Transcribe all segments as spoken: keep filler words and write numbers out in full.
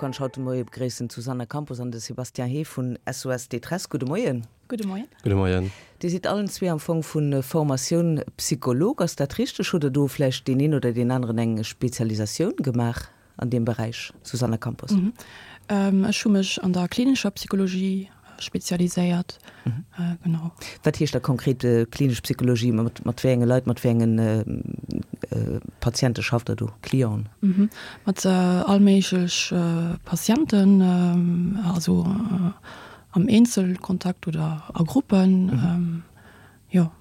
kann ech haut de Moie begréissen d'Susanna Campos an de Sébastien Hé vun S O S Détresse. Gudde Moien. Gudde Moien. Gudde Moien. Dir sidd allen zwee am Fong vu Formatioun Psycholog, ass dat richteg? Hutt Der do vläicht deen een oder deen aneren eng Spezialisatioun gemaach an deem Beräich, Susanna Campos? Ech hu mech an der klinescher Psychologie spezialiséiert, genau. Wat heescht da konkret klinesch Psychologie? Mat mat wéi enge Leit, mat wéi engen Patiente schafft Der do, Clienten? Mat all méiglech Patienten, also am Eenzelkontakt oder a Gruppen, jo.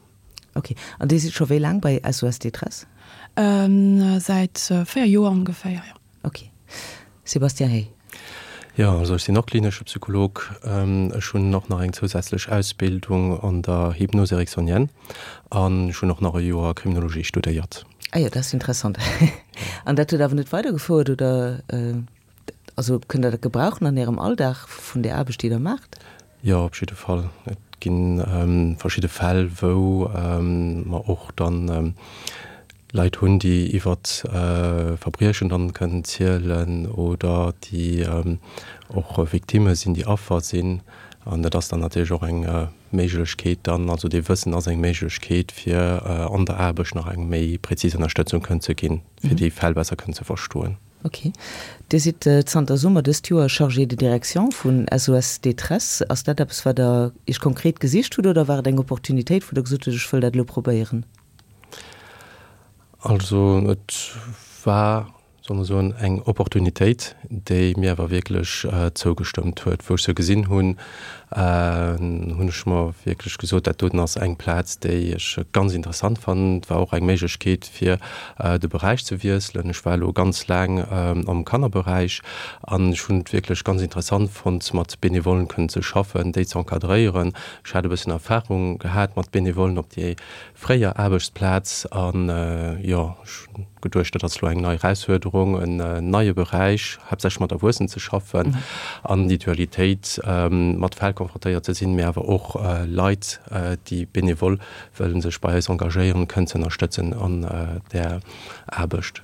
Ok. An Dir sidd scho wéi laang bei S O S Détresse? Säit véier Joer ongeféier, jo. Ok. Sébastien Hey. Jo, also ech sinn och klinesche Psycholog. Ech hunn och nach eng zousätzlech Ausbildung an der Hypnose ericksonienne an ech hunn och nach e Joer Kriminologie studéiert. Ah jo, dat ass interessant. An dat huet awer net weidergefouert, oder? Also kënnt Der dat gebrauchen an Ärem Alldag vun där Aarbecht, déi Der maacht? Jo, op jidde Fall. Et gi verschidde Fäll, wou mer och dann Leit hunn, déi iwwer Verbriechen dann kënnen zielen oder déi och Victimme sinn, déi Affer sinn. An dat ass dann natierlech och eng Méiglechkeet dann, also dee Wëssen ass eng Méiglechkeet, fir an der Aarbecht nach eng méi präzis Ënnerstëtzung kënnen ze ginn, fir déi Fäll besser kënnen ze verstoen. Ok. Dir sidd zanter Summer dëst Joer Chargé de direction vun S O S Détresse. Ass dat eppes, wat Der Iech konkret gesicht hutt oder war et eng Opportunitéit, wou Der gesot hutt, ech wëll dat elo probéieren? Also et war, solle mer soen, eng Opportunitéit, déi mir awer wierklech zougestëmmt huet. Wou ech se gesinn hunn, hunn ech mer wierklech gesot, dat doten ass eng Plaz, déi ech ganz interessant fannen. Et war och eng Méiglechkeet, fir de Beräich ze wiesselen. Ech war elo ganz laang am Kannerberäich an ech hunn et wierklech ganz interessant fonnt, mat Benevollen kënnen ze schaffen, déi ze encadréieren. Ech hat e bëssen Erfahrung gehat mat Benevollen op déi fréier Aarbechtsplaz an, jo, ech hunn geduecht, dat ass elo eng nei Erausfuerderung, en neie Beräich, haaptsächlech mat Erwuessenen ze schaffen an déi Dualitéit, mat Fäll konfrontéiert ze sinn, mee awer och Leit, déi benevol wëllen sech bei eis engagéieren, kënnen ze ënnerstëtzen an där Aarbecht.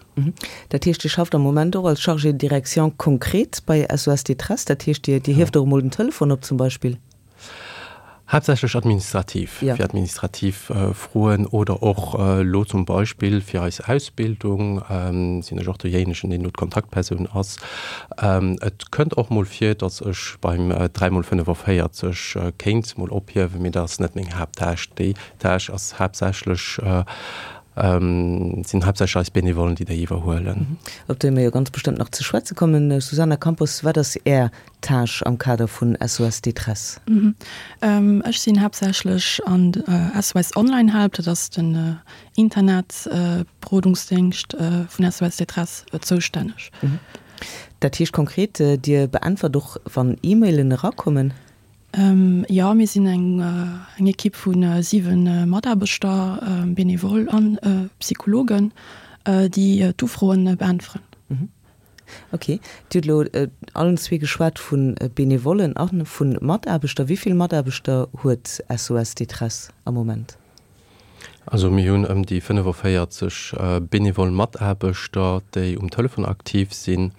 Dat heescht, Dir schafft am Moment och als Chargé de direction konkret bei S O S Détresse, dat heescht, Dir hieft och emol den Telefon op zum Beispill? Haaptsächlech administrativ, Ja. fir administrativ Froen oder och elo zum Beispill fir eis Ausbildung sinn ech och dejéinegen, deen do d'Kontaktpersoun ass. Et kënnt och mol vir, datt ech beim dräi mol fënnefavéierzeg kéint mol ophiewen, mee dat ass net meng Haapttâche. Déi Tâche ass haaptsächlech, sinn haaptsächlech eis Benevollen, déi déi iwwerhuelen. Op déi mir jo ganz bestëmmt nach ze schwätze kommen. Susanna Campos, wat ass Är Tâche am Kader vun S O S Détresse? Ech sinn haaptsächlech an S O S Online Help, dat ass den Internetberodungsdéngscht vun S O S Détresse, zoustänneg. Dat heescht konkret, Dir beäntwert och, wann E-Mailen erakommen? Jo, mir sinn eng eng Ekipp vu siwe Mataarbechter, Benevole an Psychologen, déi d'Ufroen beäntweren. Ok. Dir hutt elo allen zwee geschwat vu Benevollen a vu Mataarbechter. Wéi vill Mataarbechter huet S O S Détresse am Moment? Also mir hunn ëm déi fënnefavéierzeg benevol Mataarbechter, déi um Telefon aktiv sinn.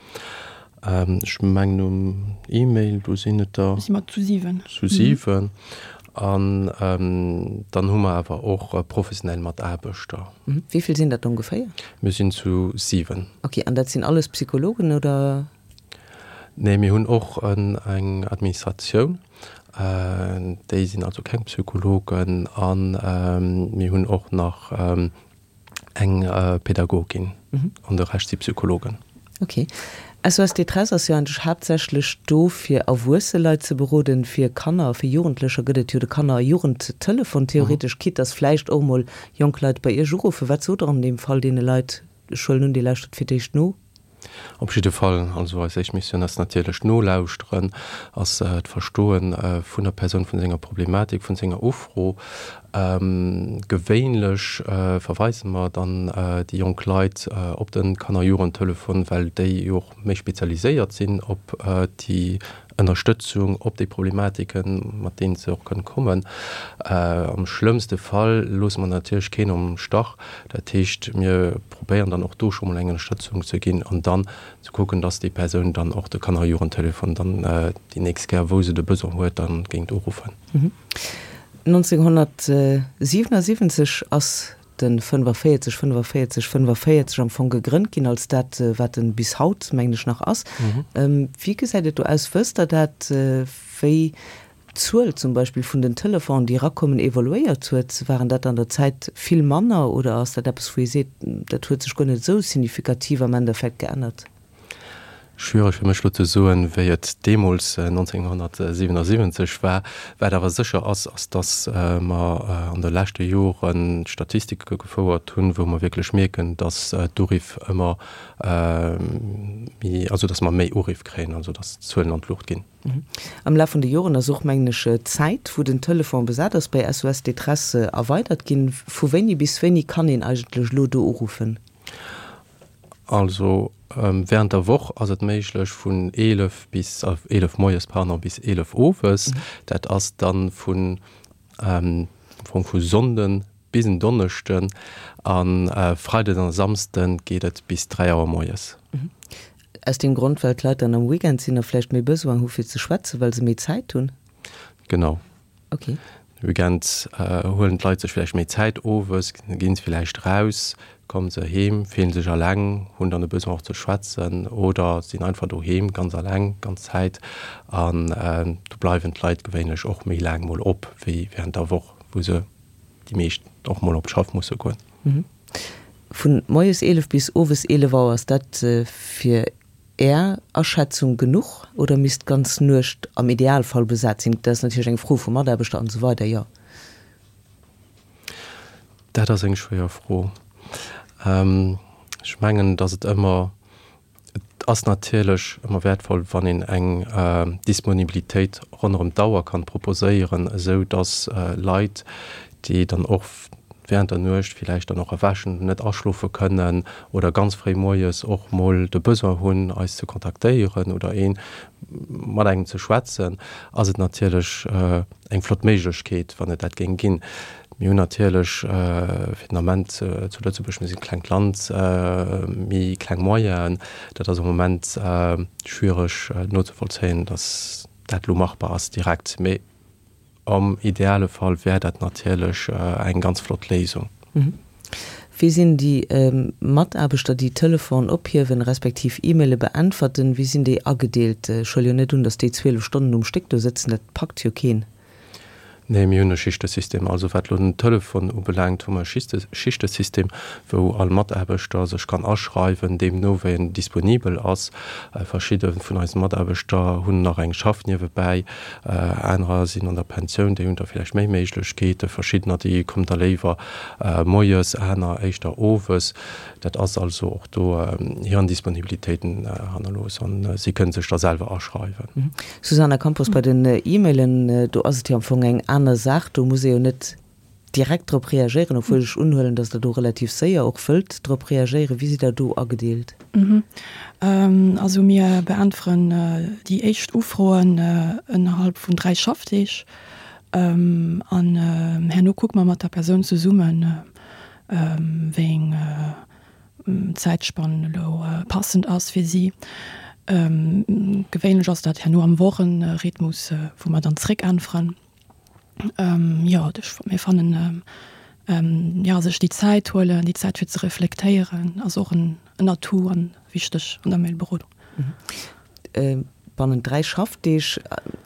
Ech mengen um E-Mail, do sinn et der Si mer zu siwen. Zu siwen. An dann hu mer awer och professionell Mataarbechter. Wéi vill sinn dat ongeféier? Mir sinn zu siwen. Ok, an dat sinn alles Psychologen, oder? Nee, mir hunn och eng Administratioun. Déi sinn also keng Psychologen. An mir hunn och nach eng Pädagogin. An de Rescht si Psychologen. Ok. S O S Détresse ass jo eigentlech haaptsächlech do, fir erwuesse Leit ze beroden. Fir Kanner a fir Jugendlecher gëtt et jo de Kanner a Jugendtelefon. Theoretesch, quitte dass vläicht och emol jonk Leit bei Iech uruffen. Wat sot Der an deem Fall deene Leit? Ech huelen un, Dir lauschtert fir d'éischt no. Op jidde Fall. Also eis éischt Missioun ass natierlech d'Nolauschteren, ass d'Verstoen vun der Persoun, vun senger Problematik, vun senger Ufro. Gewéinlech verweise mer dann déi jonk Leit op de Kanner-Jugendtelefon, well déi jo och méi spezialiséiert sinn op déi Ënnerstëtzung, op déi Problematiken, mat deenen se och kënnen kommen. Am schlëmmste Fall loosse mer natierlech keen am Stach. Dat heescht, mir probéieren dann och do scho mol eng Ënnerstëtzung ze ginn an dann ze kucken, dass déi Persoun dann och de Kanner-Jugendtelefon dann déi nächst Kéier, wou se de Besoin huet, dann géingt uruffen. nonzénghonnertsiwenasiwwenzeg ass de fënnefaféierzeg fënnefaféierzeg fënnefaféierzeg am Fong gegrënnt ginn als dat, wat en bis haut, mengen ech, nach ass. Wéi gesäit et do aus? Wësst Der dat, wéi d'Zuel zum Beispill vun den Telefonen, déi erakommen, evoluéiert huet? Waren dat an der Zäit vill manner oder ass dat eppes, wou ee seet, dat huet sech guer net esou signifikativ am Endeffekt geännert? Schwiereg fir mech elo ze soen, wéi et deemools nonzénghonnertsiwenasiwwenzeg war. Wat awer sécher ass, ass datt mer an de leschte Jore Statistike gefouert hunn, wou mer wierklech mierken, datt d'Uriff ëmmer méi, also datt mer méi Uriff kréien, also datt d'Zuelen an d'Luucht ginn. Am Laf vun de Joren ass och, mengen ech, d'Zäit, wou den Telefon besat ass, bei S O S Détresse erweidert ginn. Vu wéini bis wéini kann een eigentlech elo do uruffen? Also während der Woch ass et méiglech vun eelef bis, eelef moies, pardon, bis eelef owes. Dat ass dann vun, am Fong vu Sonnden bis en Donneschden a Freides an Samsden geet et bis dräi Auer moies. Aus deem Grond, well d'Leit dann am Weekend sinn a vläicht méi Besoin hu fir ze schwätzen, well se méi Zäit hunn? Genau. Okay. De Weekend huelen d'Leit sech vläicht méi Zäit owes, ginn se vläicht raus, kommen se heem, fillen sech alleng, hunn dann e Besoin och ze schwätzen oder sinn einfach doheem ganz alleng ganz Zäit an do bleiwen d'Leit gewéinlech och méi laang mol op wéi während der Woch, wou se déi meescht och mol op d'Schaff musse goen. Vun moies eelef bis owes eelef Auer, ass dat fir Är Aschätzung genuch oder misst d'ganz Nuecht am Idealfall besat sinn? Dat ass natierlech eng Fro vu Mataarbechter an esou weider, jo. Dat ass eng schwéier Fro. Ech mengen, datt et ëmmer, et ass natierlech ëmmer wäertvoll, wann een eng Disponibilitéit ronderëm d'Auer kann proposéieren, esou datt Leit, déi dann och während der Nuecht villäicht dann och erwächen, net aschlofe kënnen oder ganz fréi moies och mol de Besoin hunn, eis ze kontaktéieren oder ee mat engem ze schwätzen, ass et natierlech eng flott Méiglechkeet, wann et dat géing ginn. Mir hunn natierlech fir den Ament zu Lëtzebuerg, mir sinn e klengt Land, méi kleng Moyenen. Dat ass am Moment schwiereg nozevollzéien, datt dat elo machbar ass direkt. Mee am ideale Fall wär dat natierlech eng ganz flott Léisung. Wéi sinn déi Mataarbechter, déi Telefon ophiewen, respektiv E-Maile beäntwerten, wéi sinn déi agedeelt? Ech huele jo net un, datt déi zwielef Stonnen um Stéck do sëtzen, dat packt jo keen. Nee, mir hunn e Schichtesystem. Also wat elo den Telefon ubelaangt, hu mer e Schichtesystem, wou all Mataarbechter sech kann aschreiwen, deemno wéi en disponibel ass. Verschidde vun eise Mataarbechter hunn nach eng Schaff niewebäi, anerer sinn an der Pensioun, déi hunn da villäicht méi Méiglechkeeten. Verschiddener, déi kommen da léiwer moies, aner éischter owes. Dat ass also och do hiren Disponibilitéiten hannerlooss an si kënnen sech da selwer aschreiwen. Susana Campos, Bei den E-Mailen, do ass et jo am Fong eng aner Saach, do muss ee jo net direkt drop reagéieren, obwuel ech unhuelen, datt Der do relativ séier och wëllt drop reagéieren. Wéi sidd Der do agedeelt? Also mir beäntweren déi éischt Ufroen ënnerhalb vun dräi Schaffdeeg an herno kucke mer mat der Persoun zesummen, wéi eng Zäitspann elo passend ass fir si. Gewéinlech ass dat herno am Wochenrhythmus, wou mer dann zréckäntweren. Jo, mir fannen, jo, sech déi Zäit huelen, déi Zäit fir ze reflektéieren, ass och en Atout an wichteg an der Mailberodung. Bannent dräi Schaffdeeg,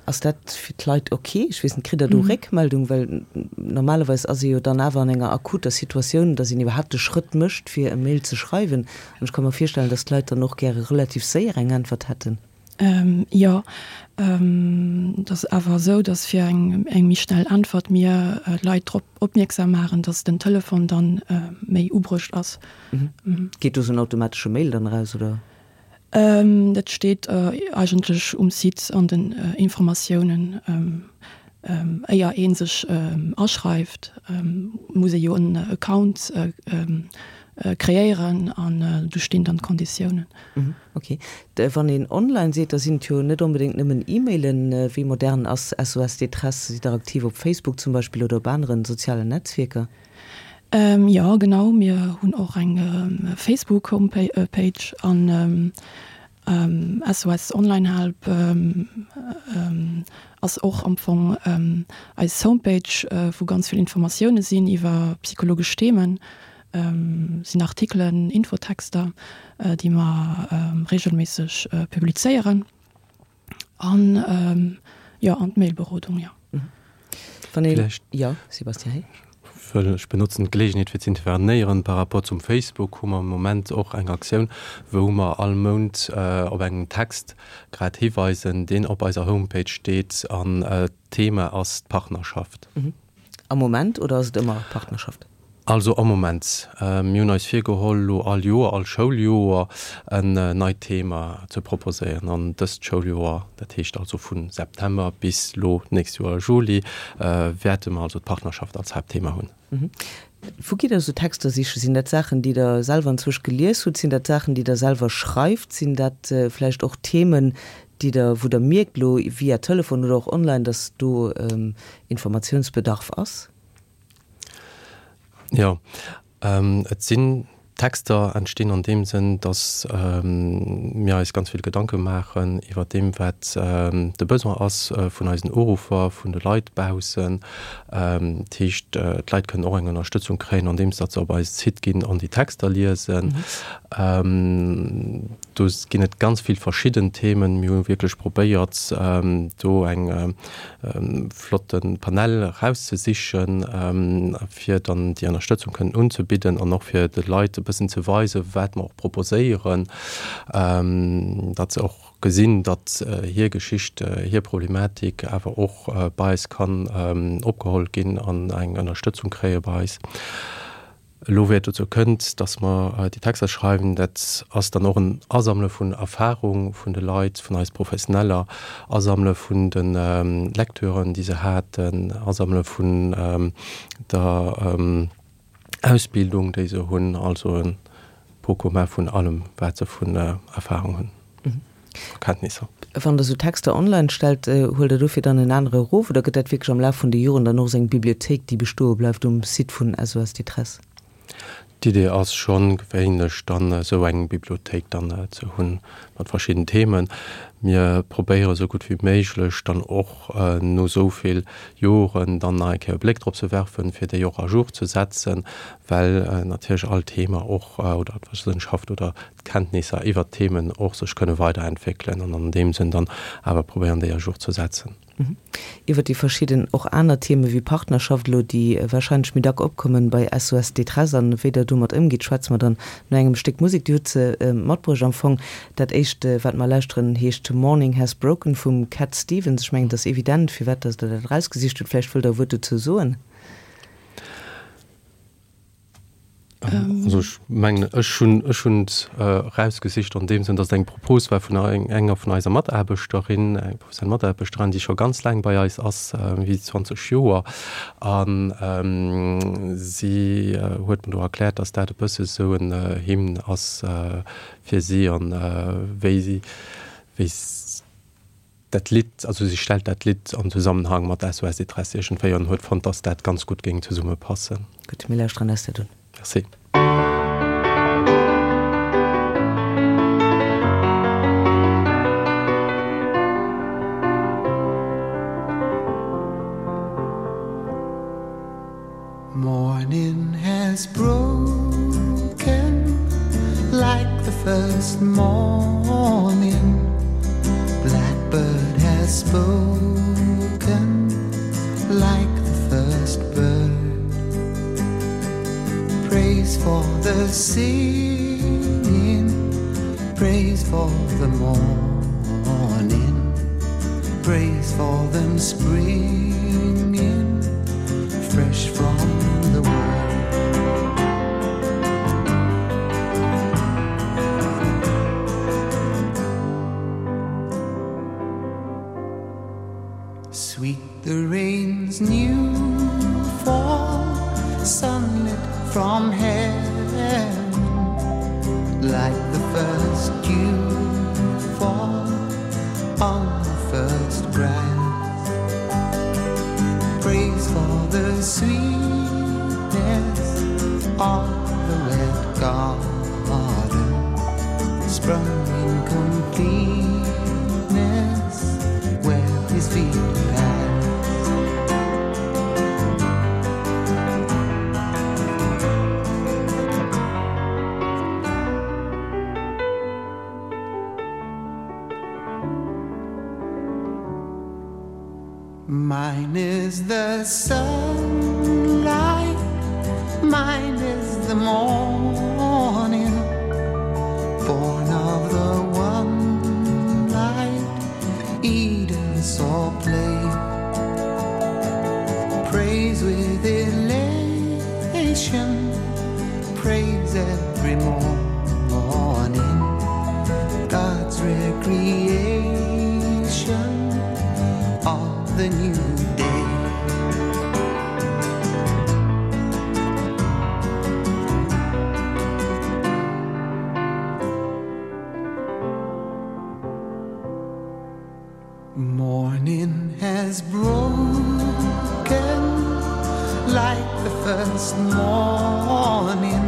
ass dat fir d'Leit ok? Ech weess net, kritt Der do Réckmeldung? Well normalerweis ass ee jo dann awer an enger akuter Situatioun, datt een iwwerhaapt de Schrëtt mécht, fir e Mail ze schreiwen. An ech ka mer virstellen, datt d'Leit dann och gäre relativ séier eng Äntwert hätten. Jo, et ass awer esou, datt fir eng méi schnell Äntwert mir d'Leit drop opmierksam maachen, datt den Telefon dann méi ubruecht ass. Geet do esou en automatesche Mail dann eraus, oder? Dat steet eigentlech um Site an den Informatiounen, Éier ee sech aschreift, muss ee jo en Account kreéieren an do stinn dann d'Konditiounen. Ok. Wann een online seet, da sinn et jo net onbedéngt nëmmen E-Mailen. Wéi modern ass SOS Détresse? Sidd Der aktiv op Facebook zum Beispill oder op aneren sozialen Netzwierker? Jo, genau. Mir hunn och eng Facebook-Homepage an SOS Online Help ass och am Fong eis Homepage, wou ganz vill Informatioune sinn iwwer psychologesch Themen, sinn Artikelen, Infotexter, déi mer reegelméisseg publizéieren an jo, an d'Mailberodung, jo. Wann een, jo, Sébastien Hey. Ech benotzen d'Geleegenheet fir z'intervenéieren. Par rapport zum Facebook hu mer am Moment och eng Aktioun, wou mer all Mount op engem Text grad hiweisen, deen op eiser Homepage steet an d'Thema ass d'Partnerschaft. Am Moment oder ass et ëmmer Partnerschaft? Also am Moment. Mir hunn eis virgeholl, elo all Joer, all Schouljoer en neit Thema ze proposéieren. An dëst Schouljoer, dat heescht also vu September bis elo d'nächst Joer Juli, wäerte mer also d'Partnerschaft als Haaptthema hunn. Wou gitt Der esou Texter sichen? Sinn dat Saachen, déi Der selwer anzwousch gelies hutt? Sinn dat Saachen, déi Der selwer schreift? Sinn dat vläicht och Themen, déi Der, wou Der mierkt elo via Telefon oder och online, dass do Informatiounsbedarf ass? Jo, et sinn Texter entstinn an deem Sënn, datt mir eis ganz vill Gedanke maachen iwwer deem, wat de Besoin ass vun eisen Uruffer, vun de Leit baussen. Dat heescht, d'Leit kënnen och eng Ënnerstëtzung kréien, andeems datt se op eise Site ginn an déi Texter liesen. Do ginn et ganz vill verschidden Themen. Mir hu wierklech probéiert, do eng flotte Panel erauszesichen, fir dann déi Ënnerstëtzung kënnen unzebidden an och fir de Leit e bëssen ze weisen, wat mer och proposéieren, datt se och gesinn, datt hir Geschicht, hir Problematik awer och bei eis kann opgeholl ginn an eng Ënnerstëtzung kréie bei eis. Elo wéi et dozou kënnt, datt mer déi Texter schreiwen, dat ass dann och en Asammele vun Erfahrung vun de Leit, vun eis Professioneller, Asammele vun de Lecturen, déi se haten, Asammele vun der Ausbildung, déi se hunn, also e Pot commun vun allem, wat se vun Erfahrung hunn, Erkenntnisser. Wann Der esou Texter online stellt, huelt Der dofir dann en anere erof oder gëtt dat wierklech am Laf vun de Joren dann och esou eng Bibliothéik, déi bestoe bleift um Site vun SOS Détresse? D'Idee ass schonn, gewéinlech dann esou eng Bibliothéik dann ze hunn mat verschidden Themen. Mir probéiere sou gutt wéi méiglech dann och no esou vill Joren dann nach eng Kéier e Bléck drop ze werfen, fir déi och à jour ze setzen, well natierlech all Thema och oder d'Wëssenschaft oder d'Kenntnisser iwwert d'Themen och sech kënne weiderentwéckelen an an deem Sënn dann awer probéieren, déi à jour ze setzen. Iwwer déi verschidden och aner Theme wéi Partnerschaft elo, déi warscheinlech méi dack opkommen bei SOS Détresse an wéi Der domat ëmgitt, schwätze mer dann no engem Stéck Musek. Dir hutt se matbruecht am Fong. Dat éischt, wat mer lauschteren, heescht Morning Has Broken vum Cat Stevens. Ech mengen, et ass evident, firwat dass Der dat erausgesicht hutt. Vläicht wëllt Der e Wuert dozou soen? Also ech mengen, ech hunn, ech hunn et erausgesicht an deem Sënn, datt et eng Propos war vun enger vun eiser Mataarbechterin, eng professionell Mataarbechterin, déi scho ganz laang bei eis ass, méi wéi zwanzeg Joer. A si huet mer do erkläert, datt dat e bësse sou en Hymne ass fir si an wéi si, wéi dat Lidd, also si stellt dat Lidd am Zusammenhang mat SOS Détresse iergendwéi an huet fonnt, dass dat ganz gutt géing zesumme passen. Gutt, mir lauschteren eis dat un. Merci. Morning has broken like the first morning Blackbird has spoken like the first bird Praise for the singing Praise for the morning Praise for them springing fresh from the world Sweet the rain Like the first dew fall on the first grass. Praise for the sweetness of the red garden sprung in completeness where his feet pass. Mine is the sunlight, mine is the morning, born of the one light Eden saw play. Praise with elation, praise every morning, God's recreation of the new day. Morning has broken like the first morning.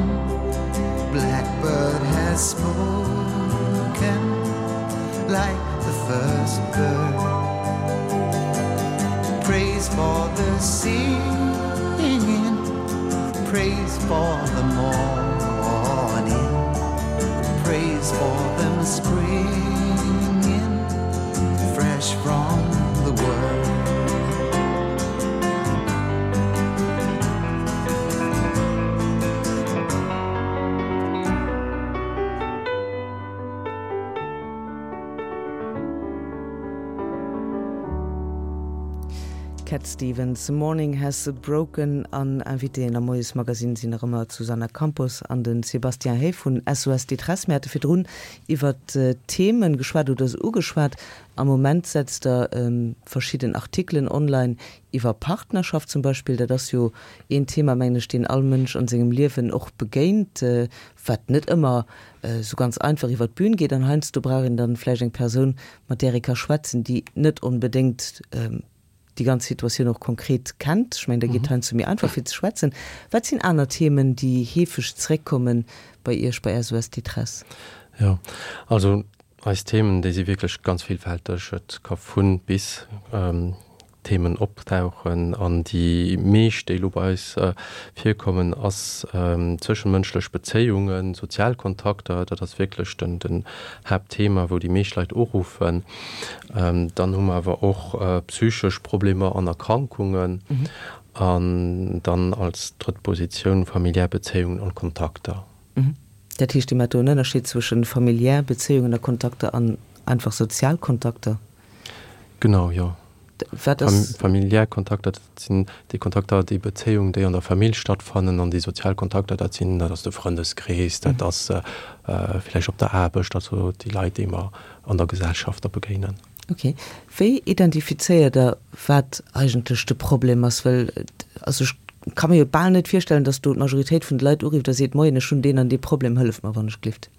Blackbird has spoken like the first bird. Praise for the singing, praise for the morning, praise for them springing fresh from the world. Cat Stevens, Morning Has Broken an Invitéen am Moiesmagazin sinn nach ëmmer d'Susanna Campos an den Sébastien Hey vun SOS Détresse. Mir hate virdrun iwwer Themen geschwat oder se ugeschwat. Am Moment setzt der verschidden Artikelen online iwwer Partnerschaft zum Beispill. Dat ass jo een Thema, mengen ech, deen all Mënsch an sengem Liewen och begéint, wat net ëmmer sou ganz einfach iwwer d'Bün geet. An heiansdo brauch een dann vläicht eng Persoun, mat där ee ka schwätzen, déi net onbedéngt déi ganz Situatioun och konkret kennt. Ech mengen, da geet heiansdo méi einfach fir ze schwätzen. Wat sinn aner Themen, déi heefeg zréckkommen bei Iech bei SOS Détresse? Jo, also eis Themen, déi si wierklech ganz villfälteg. Et ka vun bis Themen optauchen an déi meescht, déi elo bei eis virkommen, ass zwëschemënschlech Bezéiungen, sozial Kontakter. Dat ass wierklech den, den Haaptthema, wou déi meescht Leit uruffen. Dann hu mer awer och psychesch Problemer an Erkrankungen an dann als drëtt Positioun familiär Bezéiungen an Kontakter. Dat heescht, Dir maacht do en Ënnerscheed zwëschen familiär Bezéiungen a Kontakter an einfach sozial Kontakter? Genau, jo. Wat ass. Familiär Kontakter, dat sinn déi Kontakter, déi Bezéiungen, déi an der Famill stattfannen, an déi sozial Kontakter, dat sinn, dat ass de Frëndeskrees, dat ass vläicht op der Aarbecht, also déi Leit, déi mer an der Gesellschaft da begéinen. Ok. Wéi identifizéiert Der, wat eigentlech de Problem ass? Well, also ech ka mir jo bal net virstellen, datt do d'Majoritéit vun de Leit urifft a seet, Moien, ech hunn deen an dee Problem, hëlleft mer wann ech glift.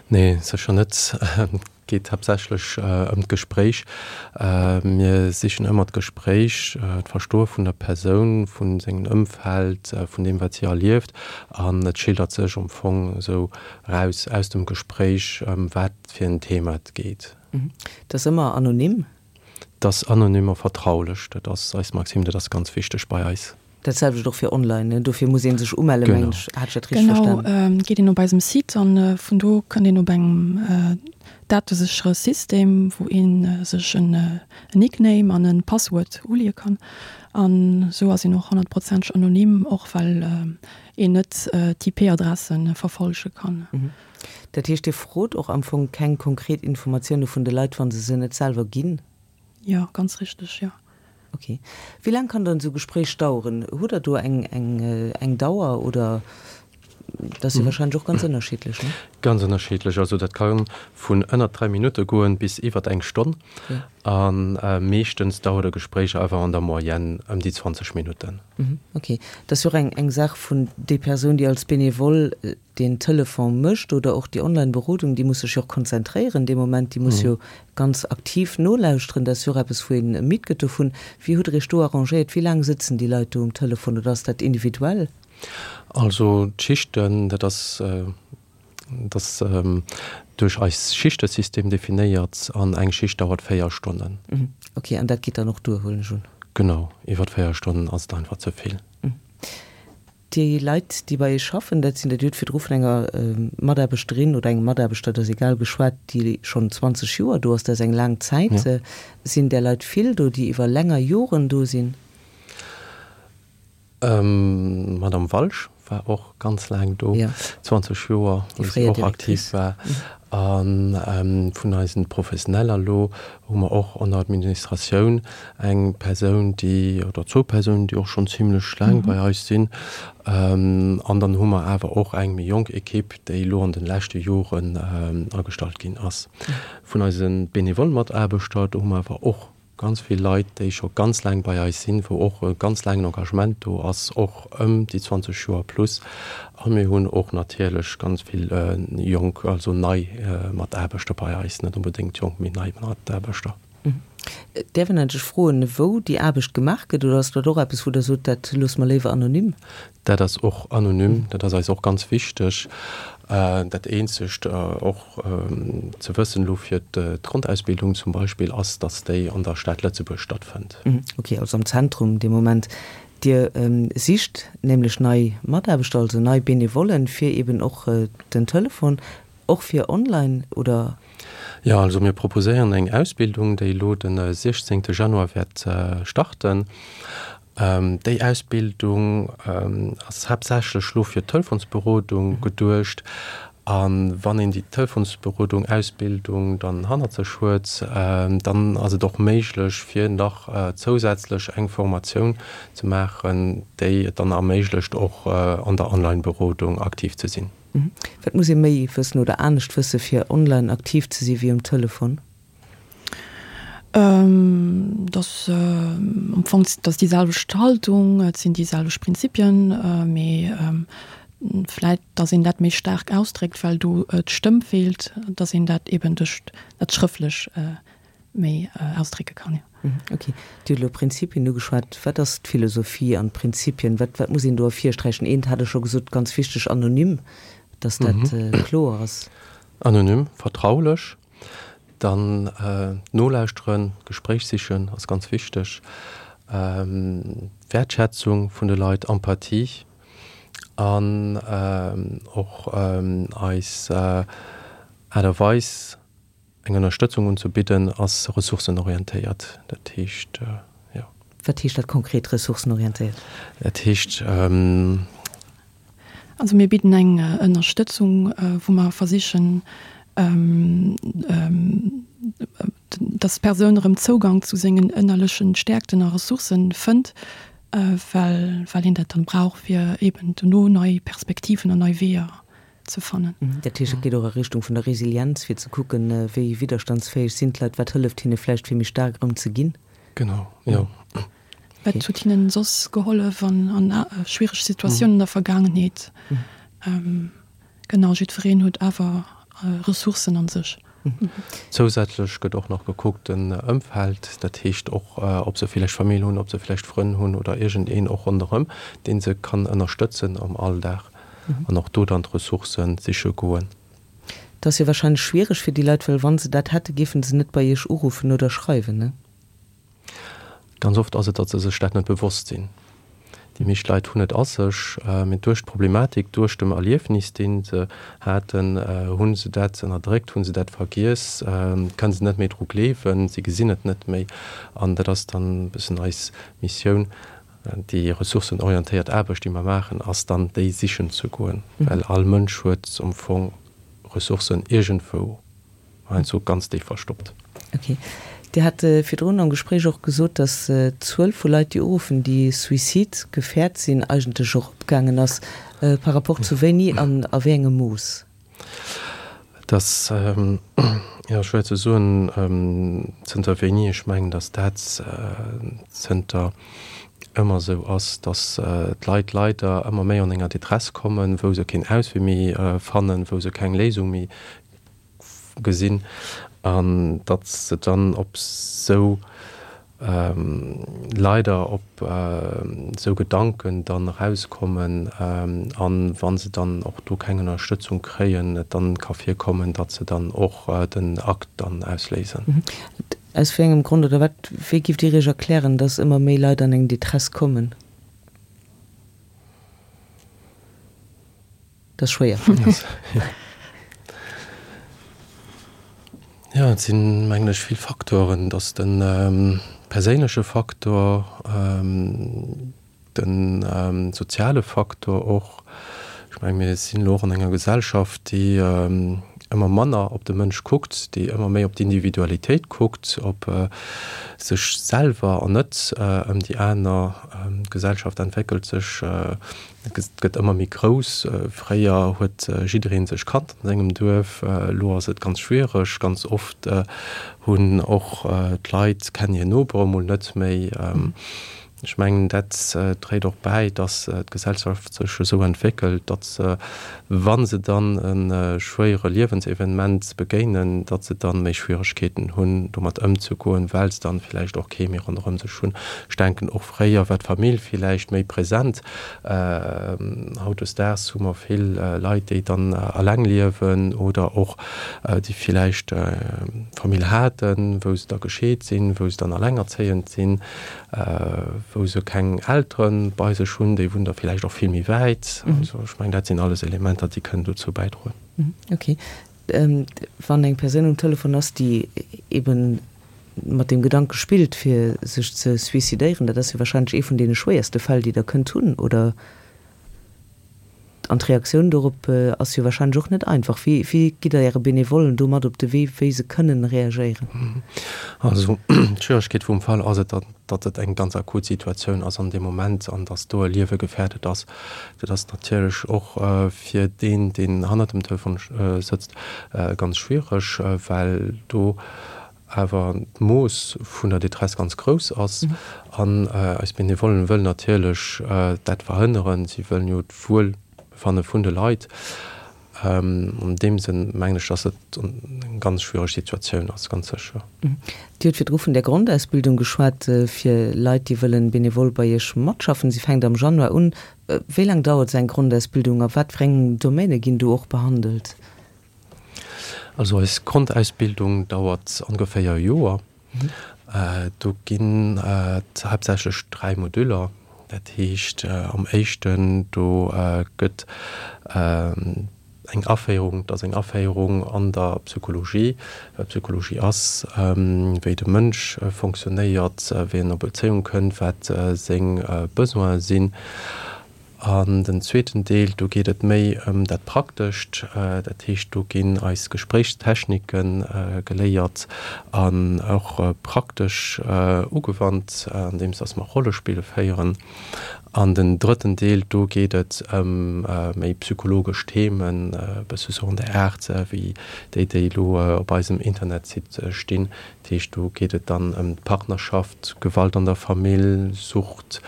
Nee, sécher net. Et geet haaptsächlech ëm d'Gespréich. Mir sichen ëmmer d'Gespréich, d'Verstoe vun der Persoun, vu sengem Ëmfeld, vun deem, wat si erlieft. An et schildert sech am Fong esou eraus aus dem Gespréich, ëm wat fir en Thema et geet. Dat ass ëmmer anonym? Dat ass anonym a vertraulech. Dat ass eis Maxime, dat ass ganz wichteg bei eis. Dat selwecht och fir online, ne? Dofir muss ee sech umelle, mengen ech. Hat ech dat richteg Genau, verstanen? geet een op eisem Site an vun do kënnt een op engem dateséchere System, wou ee sech en Nickname an e Passwuert uleeë kann. An esou ass een och honnertprozenteg anonym, och well een net d'IP-Adresse verfollege kann. Dat heescht, Dir frot och am Fong keng konkret Informatioune vun de Leit, wa se se net selwer ginn? Jo, ganz richteg, jo. Ok. Wéi laang kann dann esou Gespréich daueren? Hutt Der do eng, eng, eng Dauer oder Dat ass jo wahrscheinlech och ganz ënnerschiddlech, ne? Ganz ënnerschiddlech. Also dat ka vun ënnert dräi Minutte goen bis iwwert eng Stonn. A meeschtens dauert e Gespréich awer an der Moyenne ëm déi zwanzeg Minutten. Ok. Dat ass jo och eng eng Saach vun déi Persoun, déi als Benevole deen Telefon mécht oder och déi Online-Berodung, déi muss sech jo och konzentréieren dee Moment, déi muss jo ganz aktiv nolauschteren. Dat ass jo och eppes, wou een midd gëtt dovun. Wéi hutt Der Iech do arrangéiert? Wéi laang sëtzen déi Leit do um Telefon oder ass dat individuell? Also d'Schichten, dat ass, dat ass duerch eis Schichtesystem definéiert an eng Schicht dauert véier Stonnen. Ok, an dat geet dann och duer, huelen ech un? Genau, iwwer véier Stonnen ass et einfach ze vill. Déi Leit, déi bei Iech schaffen, dat sinn der, Dir hutt virdru vun enger Mataarbechterin oder engem Mataarbechter, dat ass egal, geschwat, déi schonn zwanzeg Joer do ass, dat ass eng laang Zäit. Sinn där Leit vill do, déi iwwer länger Joren do sinn? D'Madame Walsch war och ganz laang do, zwanzeg Joer, wou si och aktiv war. A vun eisen Professioneller elo hu mer och an der Administratioun eng Persoun, déi, oder zwou Persounen, déi och schonn zimlech laang bei eis sinn. An dann hu mer awer och eng méi jonk Ekipp, déi elo an de leschte Joren agestallt ginn ass. Vun eise benevole Mataarbechter, do hu mer awer och Ganz vill Leit, déi scho ganz laang bei eis sinn, wou och e ganz laangen Engagement do ass, och ëm déi zwanzeg Joer plus. A mir hunn och natierlech ganz vill jonk, also nei Mataarbechter bei eis, net onbedéngt jonk, mee nei Mataarbechter. Däerf een eigentlech froen, wou déi Aarbecht gemaach gëtt, oder ass dat och eppes, wou Der sot, dat loosse mer léiwer anonym? Dat ass och anonym, dat ass eis och ganz wichteg. Dat eenzegt och ze wëssen elo fir d'Grondausbildung zum Beispill ass, datt déi an der Stad Lëtzebuerg stattfënnt. Ok, also am Zentrum dee Moment. Dir sicht nämlech nei Mataarbechter, also nei Benevollen, fir eben och den Telefon, och fir online, oder? Jo, also mir proposéieren eng Ausbildung, déi elo de siechzéngte Januar wäert starten. Déi Ausbildung ass haaptsächlech lo fir d'Telefonsberodung geduecht. A wann een déi Telefonsberodung, Ausbildung dann hannert sech huet, dann ass et och méiglech fir nach zousätzlech eng Formatioun ze maachen, déi et dann erméiglecht och an der Online-Berodung aktiv ze sinn. Wat muss ee méi wëssen oder anescht wësse fir online aktiv ze si wéi um Telefon? Dass am Fong, dass déi selwecht Haltung, et sinn déi selwecht Prinzipien, mee vläit, dass een dat méi staark ausdréckt, well do d'Stëmm feelt, dass een dat eben duerch dat Schrëftlech méi ausdrécke kann, jo. Ok. Dir hutt elo Prinzipien ugeschwat. Wat ass d'Philosophie an d'Prinzipien? Wat, wat muss een do ervirsträichen? Eent hat Der scho gesot, ganz wichteg, anonym, dass dat kloer ass. Anonym, vertraulech. Dann nolauschteren, Gespréich sichen ass ganz wichteg. Wäertschätzung vun de Leit, Empathie an och eis Aart a Weis eng Ënnerstëtzung unzebidden ass ressourcenorientéiert. Dat heescht, jo. Wat heescht dat konkret, ressourcenorientéiert? Dat heescht. Also mir bidden eng Ënnerstëtzung, wou mer versichen, dass d'Persoun erëm Zougang zu sengen ënnerlechen Stäerkten a Ressourcen fënnt, well well een dat dann brauch, fir eeben dono nei Perspektiven an nei Weeër ze fannen. Dat heescht, et geet och a Richtung vun der Resilienz, fir ze kucken, wéi widderstandsfäeg sinn d'Leit, wat hëlleft hinne vläicht, fir méi staark erëm ze ginn? Genau, jo. Wat huet hinnen soss gehollef an a schwiereg Situatiounen an der Vergaangenheet? Genau, jiddwereen huet awer Ressourcen an sech. Zousätzlech gëtt och nach gekuckt den Ëmfeld, dat heescht och ob se villäicht Famill hunn, ob se villäicht Frënn hunn oder iergendeen och ronderëm, dee se kann ënnerstëtzen am Alldag an och do dann d'Ressourcë siche goen. Dat ass jo warscheinlech schwiereg fir déi Leit, well wa se dat hätte, géife se net bei Iech uruffen oder schreiwen, ne? Ganz oft ass et, datt se sech dat net bewosst sinn. Déi meescht Leit hunn et a sech, mee duerch d'Problematik, duerch dem Erliefnis, dee se haten, hu se dat ënnerdréckt, hu se dat vergiess, kënne se net méi dru gleewen, si gesinn et net méi. An dat ass dann e bëssen eis Missioun, déi ressourcenorientéiert Aarbecht, déi mer maachen, ass dann déi sichen ze goen, well all Mënsch huet am Fong Ressourcen iergendwou. Heiansdo ganz déif verstoppt. Ok. Dir hat virdrun am Gespréich och gesot, dass d'Zuel vu Leit, déi uruffen, déi suizidgefährt sinn, eigentlech eropgaangen ass. Par rapport zu wéini an a wéi engem Mooss? Et ass, jo, schwéier ze soen, zënter wéini. Ech mengen, dass dat zënter ëmmer esou ass, dass d'Leit leider ëmmer méi an enger Détresse kommen, wou se keen Auswee méi fannen, wou se keng Léisung méi gesinn an datt se dann op esou leider op esou Gedanken dann erauskommen an wa se dann och do keng Ënnerstëtzung kréien, et dann ka virkommen, datt se dann och den Akt dann ausléisen. Aus wéi engem Grond oder wat, wéi giff Dir Iech erklären, datt ëmmer méi Leit an eng Détresse kommen? Dat ass schwéier. Jo, et sinn, mengen ech, vill Faktoren. Et ass de perséinleche Faktor, de soziale Faktor och. Ech menge mir sinn elo och an enger Gesellschaft, déi ëmmer manner op de Mënsch kuckt, déi ëmmer méi op d'Individualitéit kuckt, op sech selwer an net ëm déi aner. D'Gesellschaft entwéckelt sech, gëtt ëmmer méi grouss. Fréier huet jidderee sech kannt an sengem Duerf, elo ass et ganz schwiereg. Ganz oft hunn och d'Leit kennen hir Nopere mol net méi. Ech mengen, dat dréit och bäi, datt d'Gesellschaft sech esou entwéckelt, datt se, wa se dann e schwéiere Liewensevenement begéinen, datt se dann méi Schwieregkeeten hunn, domat ëmzegoen, well se dann villäicht och kee méi ronderëm sech hunn. Ech denken, och fréier war d'Famill villäicht méi present. Hautdesdaags hu mer vill Leit, déi dann eleng liewen oder och déi villäicht Famill haten, wou se da gescheet sinn, wou se dann elengerzéiend sinn. wou se keng Eltere bei sech hunn, déi wunnen da villäicht och vill méi wäit. Also ech mengen, dat sinn alles Elementer, déi kënnen dozou bäidroen. Okay. Wann eng Persoun um Telefon ass, déi eeben mat deem Gedanke spillt, fir sech ze suicidéieren, dat ass jo wahrscheinlech ee vun deene schwéierste Fäll, déi Der kënnt hunn, oder? An d'Reaktioun dorop ass jo wahrscheinlech och net einfach. Wéi, wéi gitt Der Äre Benevollen do mat op de Wee, wéi se kënnen reagéieren? Also d'Schwieregkeet vum Fall ass et, datt et eng ganz akut Situatioun ass an deem Moment an datt do e Liewe gefäerdet ass. Dat ass natierlech och fir deen, deen hannert dem Telefon sëtzt, ganz schwiereg, well do awer d'Mooss vun der Détresse ganz grouss ass. An eis Benevollen wëllen natierlech dat verhënneren. Si wëllen jo d'Wuelbefanne vun de Leit. An deem Sënn mengen ech, dass et eng ganz schwiereg Situatioun ass, ganz sécher. Dir hutt virdru vun där Grondausbildung geschwat fir Leit, déi wëllen benevol bei Iech matschaffen. Si fänkt am Januar un. Wéi laang dauert esou eng Grondausbildung a wat fir eng Domaine ginn do och behandelt? Also eis Grondausbildung dauert ongeféier e Joer. Do ginn et haaptsächlech dräi Moduler. Dat heescht am éischten do gëtt eng Aféierung, et ass eng Aféierung an der Psychologie, wat Psychologie ass, wéi de Mënsch fonctionnéiert, wéi en a Bezéiung kënnt, wat seng Besoine sinn. An den zweeten Deel, do geet et méi ëm dat Praktescht. Dat heescht, do ginn eis Gespréichstechnike geléiert an och praktesch ugewannt, andeems dass mer Rollespille féieren. An den drëtten Deel, do geet et ëm méi psychologesch Themen, e bësse sou an der Aart wéi déi, déi elo op eisem Internetsite stinn. Dat heescht, do geet et dann ëm d'Partnerschaft, Gewalt an der Famill, Sucht,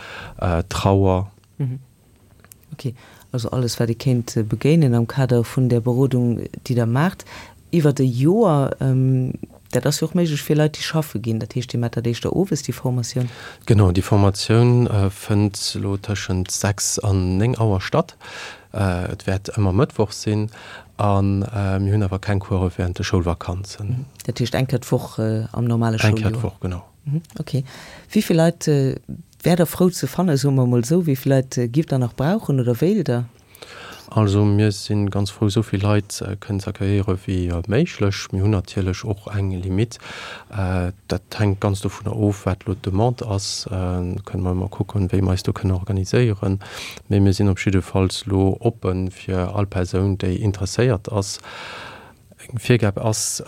Trauer. Ok, also alles wat ee kéint begéinen am Kader vun där Berodung, déi Der maacht iwwert e Joer. Dat ass jo och méiglech fir Leit, déi schaffe ginn. Dat heescht, Dir maacht dat éischter owes, déi Formatioun? Genau, déi Formatioun fënnt elo tëschent sechs an néng Auer statt. Et wäert ëmmer mëttwochs sinn a mir hunn awer keng Course wärend de Schoulvakanzen. Dat heescht eng Kéier d'Woch am normale Schouljoer? Eng Kéier d'Woch, genau. Ok. Wéi vill Leit wäert Der frou ze fannen, soe mer emol esou? Wéi vill Leit giff Der nach brauchen oder wéilt Der? Also mir si ganz frou, esou vill Leit kënnen ze accueilliere wéi méiglech. Mir hunn natierlech och eng Limitt. Dat hänkt ganz dovunner of, wat elo d'Demande ass. Do kënne mer ëmmer kucken, wéi mer eis do kënnen organiséieren. Mee mir sinn op jiddefalls elo oppe fir all Persoun, déi interesséiert ass. Eng Virgab ass,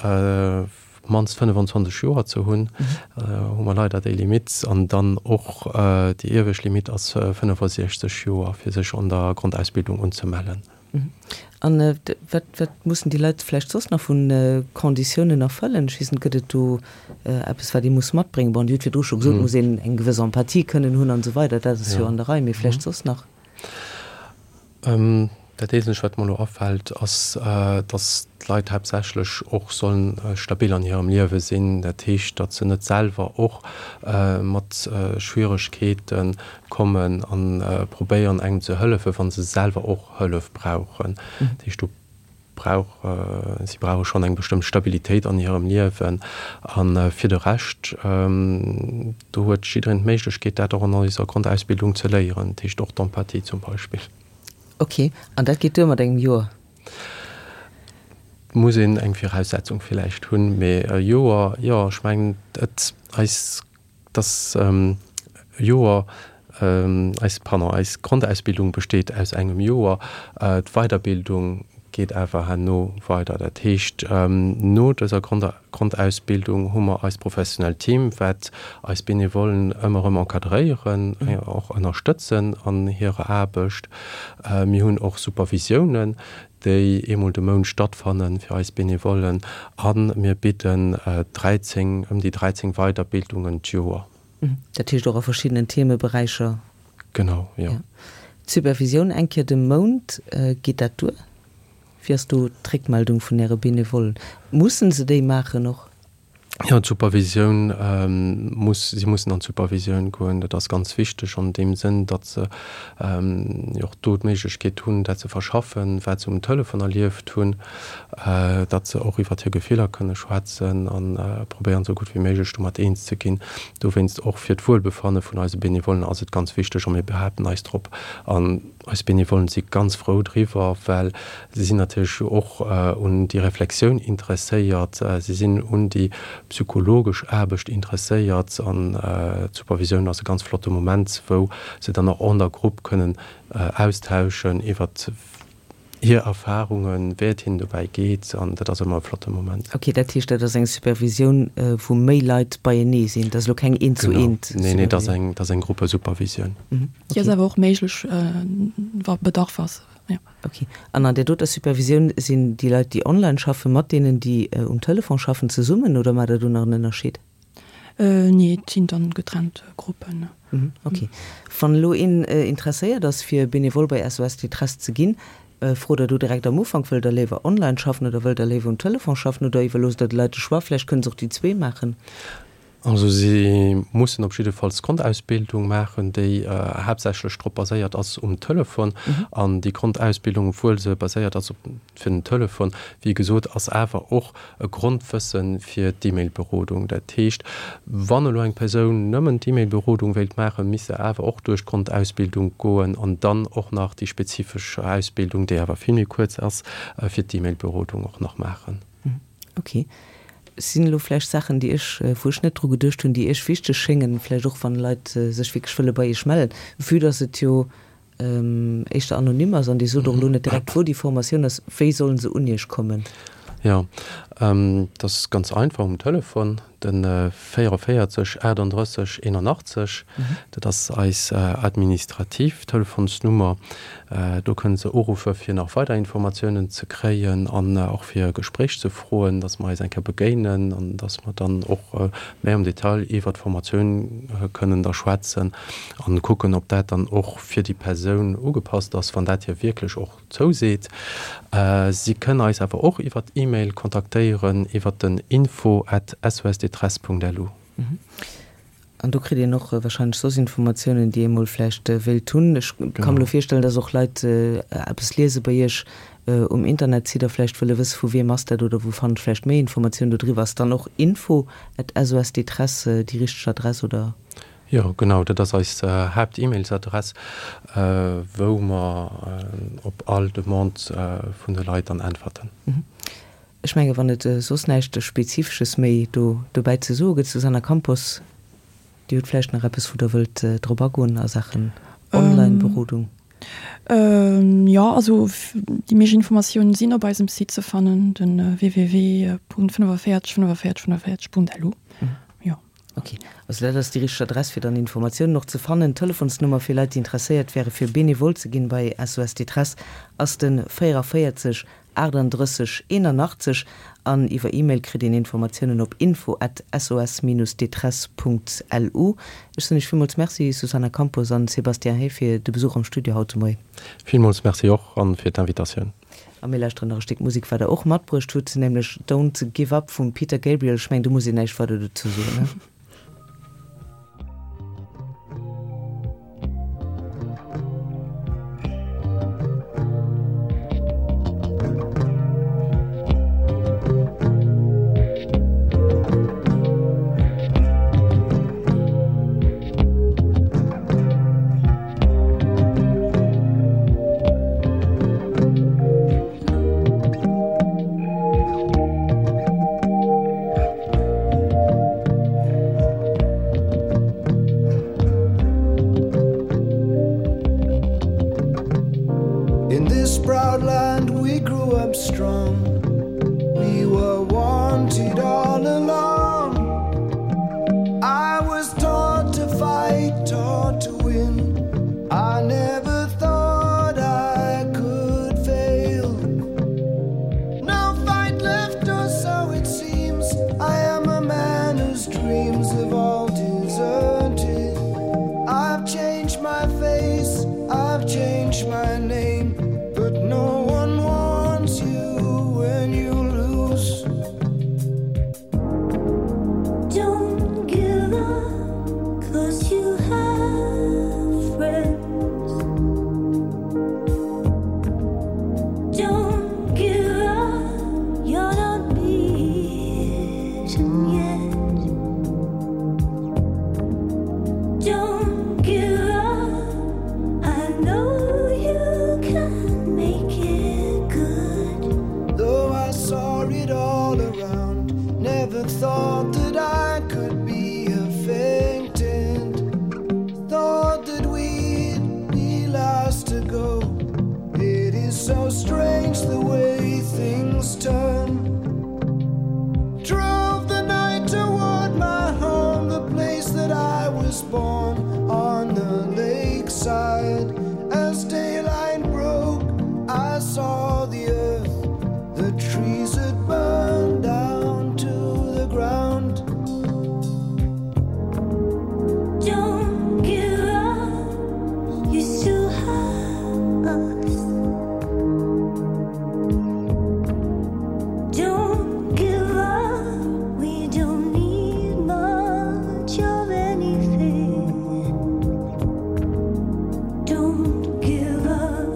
op d'mannst fënnefenzwanzeg Joer ze hunn, hu mer leider déi Limitt. An dann och déi iewescht Limitt ass fënnefasiechzeg Joer, fir sech an der Grondausbildung unzemellen. An wat, wat mussen déi Leit vläicht soss nach vu Konditiounen erfëllen? Ech weess net, gëtt et do eppes, wat ee muss matbréngen? Bon, Dir hutt virdru scho gesot, et muss een eng gewëss Empathie kënnen hunn an esou weider, dat ass jo an der Rei, mee vläicht soss nach? Dat Eenzegt, wat mer elo afält, ass, datt d'Leit haaptsächlech och sollen stabil an hirem Liewe sinn. Dat heescht, datt se net selwer och mat Schwieregkeete kommen a probéieren, engem ze hëllefen, wa se selwer och Hëllef brauchen. Dat heescht, do brauch, si brauche schonn eng bestëmmt Stabilitéit an hirem Liewen. A fir de Rescht, do huet jiddereen d'Méiglechkeet, dat och an eiser Grondausbildung ze léieren, dat heescht och d'Empathie zum Beispill. Ok, an dat geet duer mat engem Joer? Muss een eng Viraussetzung villäicht hunn, mee e Joer, jo, ech mengen et eis, dass e Joer, eis, pardon, eis Grondausbildung besteet aus engem Joer, d'Weiderbildung geet awer herno weider. Dat heescht, no dëser Grondausbildung hu mer eist professionellt Team, wat eis Benevollen ëmmer erëm encadréieren, och ënnerstëtzen an hirer Aarbecht. Mir hunn och Supervisiounen, déi eemol de Mount stattfanne fir eis Benevollen a mir bidden dräizéng, ëm déi dräizéng Weiderbildungen d'Joer. Dat heescht och a verschiddenen Themeberäicher? Genau, jo. D'Supervisioun eng Kéier de Mount, geet dat duer? Wéi ass do d'Réckmeldung vun Äre Benevollen? Mussen se déi maachen och? Jo, d'Supervisioun muss, si mussen an d'Supervisioun goen. Dat ass ganz wichteg an deem Sënn, datt se jo och do d'Méiglechkeet hunn, dat ze verschaffen, wat se um Telefon erlieft hunn, datt se och iwwert hir Gefiller kënne schwätzen a probéieren, esou gutt wéi méiglech domat eens ze ginn. Dowéinst och fir d'Wuelbefanne vun eise Benevollen ass et ganz wichteg a mir behaapten eis drop. An eis Benevollen si ganz frou driwwer, well si sinn natierlech och un déi Reflexioun interesséiert, si sinn un déi psychologesch Aarbecht interesséiert an d'Supervisioun ass e ganz flotte Moment, wou se dann och an der Grupp kënnen austauschen iwwert hir Erfarungen, wéi et hinnen dobäi geet an dat ass ëmmer e flotte Moment. Ok, dat heescht, dat ass eng Supervisioun, wou méi Leit beienee sinn, dat ass elo keng Eent-zu-eent-Supervisioun? Genau, nee, nee, dat ass eng, dat ass eng Gruppesupervisioun. Déi ass awer och méiglech, wa Bedarf ass, jo. Ok, an an där doter Supervisioun sinn déi Leit, déi online schaffen, mat deenen, déi um Telefon schaffen, zesummen oder maacht Der do nach en Ënnerscheed? Nee, et sinn dann getrennt Gruppen. Ok. Wann elo een interesséiert ass, fir Benevole bei S O S Détresse ze ginn, frot Der do direkt am Ufank, wëllt Der léiwer online schaffen oder wëllt Der léiwer um Telefon schaffen oder iwwerloosst Der de Leit de Choix? Vläicht kënnen se och déi zwee maachen. Also si mussen op jiddefalls d'Grondausbildung maachen, déi haaptsächlech drop baséiert ass um Telefon. An déi Grondausbildung, obwuel se baséiert ass op fir den Telefon, wéi gesot, ass awer och e Grondwësse fir d'E-Mail-Berodung. Dat heescht, wann elo eng Persoun nëmmen d'E-Mail-Berodung wéilt maachen, misst se awer och duerch d'Grondausbildung goen an dann och nach déi spezifesch Ausbildung, déi awer vill méi kuerz ass, fir d'E-Mail-Berodung och nach maachen. Okay. Sinn elo vläicht Saachen, déi ech, wou ech net dru geduecht hunn, déi Iech wichteg schéngen, vläicht och wann Leit sech wierklech wëlle bei Iech mellen, vue dass et jo éischter anonym ass an Dir sot och elo net direkt, wou déi Formatioun ass, wéi sollen se un Iech kommen? Jo, dat ass ganz einfach, um Telefon, de véierunvéierzeg achtundrësseg eenundachtzeg, dat ass eis administrativ Telefonsnummer. Do kënne se uruffe fir nach weider Informatiounen ze kréien an och fir e Gespréich ze froen, dass mer eis eng Kéier begéinen an dass mer dann och méi am Detail iwwer d'Formatioun kënnen da schwätzen an kucken, ob dat dann och fir déi Persoun ugepasst ass, wann dat hir wierklech och zouseet. Si kënnen eis awer och iwwer E-Mail kontaktéieren iwwer den info at sosdetresse punkt lu. An do kritt een och wahrscheinlech soss Informatiounen, déi ee mol vläicht wéilt hunn. Ech ka mer elo virstellen, dass och Leit eppes liese bei Iech um Internetsite a vläicht wëlle wësse vu wiem ass dat oder wou fannen ech vläicht méi Informatiounen dodriwwer. Ass dann och info at sosdetresse déi richteg Adress oder? Jo, genau, dat ass eis Haapt-E-Mails-Adress, wou mer op all Demande vun de Leit dann äntwerten. Ech menge wann et soss näischt Spezifesches méi do dobäi ze soe gëtt, Susana Campos, Dir hutt vläicht nach eppes, wou Der wëllt drop agoen a Saachen Online-Berodung? Ähm, jo, also déi meescht Informatiounen sinn op eisem Site ze fannen, den www Punkt fënnefavéierzeg fënnefavéierzeg fënnefavéierzeg Punkt lu. Jo. Ok, also dat ass déi richteg Adress fir dann Informatiounen och ze fannen. D'Telefonsnummer fir Leit déi interesséiert wäre fir Benevole ze ginn bei S O S Détresse ass den véierundavéierzeg achtundrësseg eenanachtzeg an iwwer E-Mail kritt een Informatiounen op info at sos-détresse Punkt lu. Ech soen iech villmools Merci, Susana Campos an Sébastien Hay, fir de Besuch am Studio haut de Moien. Villmools Merci och an fir d'Invitatioun. A mir lauschteren nach e Stéck Musek, wat der och matbruecht hutt, nämlech Don't Give Up vum Peter Gabriel. Ech mengen, do muss een näischt weider dozou soen, ne? In this proud land we grew up strong. We were wanted all along. I was taught to fight, taught to win. I never thought I could fail. No fight left, or so it seems. I am a man whose dreams have all deserted. I've changed my face, I've changed my name, but no one wants you when you lose. Don't give up, 'cause you have friends. Don't give up, you're not beaten yet. Don't give up, I know you can make it good. Though I saw it all around, never thought that I could be affected. Thought that we'd be last to go. It is so strange the way things turn. Drove the night toward my home, the place that I was born, on the lakeside. As daylight broke, I saw the earth, the trees had burned down to the ground. Don't give up, you still have us. Don't give up, we don't need much of anything. Don't give up,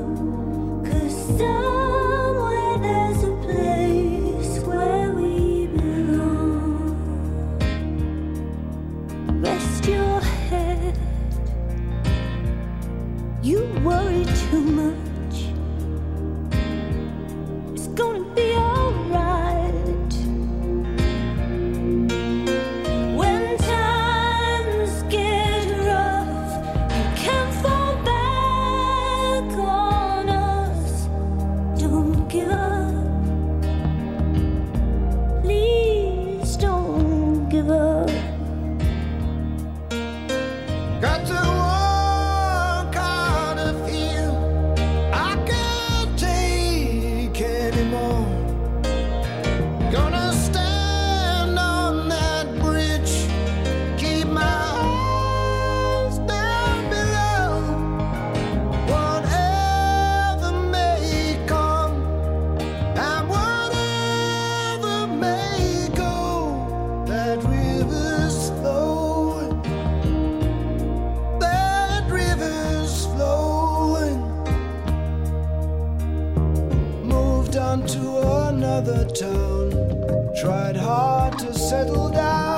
'cause somewhere there's a place where we belong. Rest your head. You worry too much. It's gonna be alright. When times get rough, you can fall back on us. Don't give up. Please don't give up. Got to walk out of here. I can't take anymore. Gonna stand on that bridge, keep my eyes down below. Whatever may come and whatever may go, that river's flowing. That river's flowing. Moved on to another town. Tried hard to settle down.